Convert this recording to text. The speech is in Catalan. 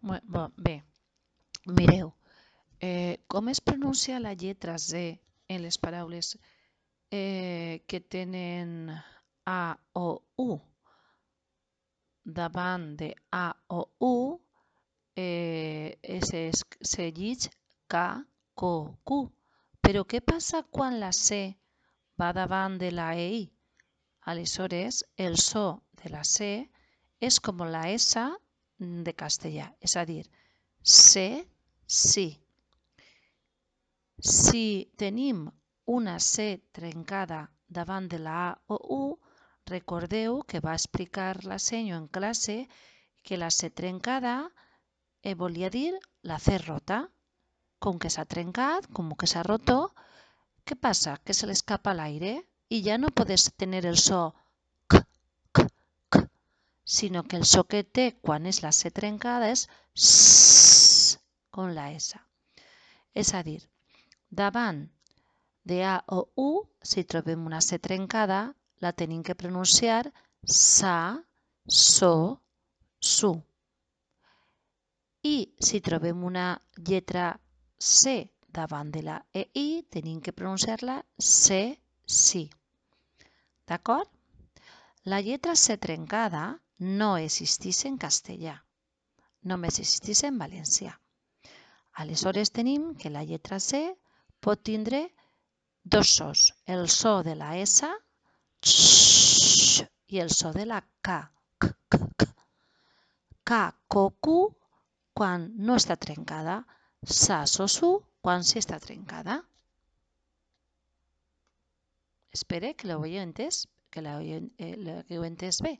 Bé, mireu, com es pronuncia la lletra Z en les paraules que tenen A o U? Davant de A o U se llig K, K, Q. Però què passa quan la C va davant de la EI? Aleshores, el so de la C és com la S de castellà, és a dir, C, sí. Si tenim una C trencada davant de la A o U, recordeu que va explicar la senyo en classe que la C trencada volia dir la C rota. Com que s'ha trencat, com que s'ha roto, què passa? Que se l'escapa l'aire i ja no podes tenir el so k, k, k, sinó que el so que té quan és la C trencada és s, com la S. És a dir, davant de A o U, si trobem una C trencada, la tenim que pronunciar sa, so, su. I si trobem una lletra C davant de la EI, tenim que pronunciar-la C, sí. D'acord? La lletra C trencada no existeix en castellà, només existeix en valencià. Aleshores tenim que la lletra C pot tindre dos sos, el so de la S i el so de la K. K, K, Q quan no està trencada, sa, so, su quan sí està trencada. Espero que l'heu entès bé.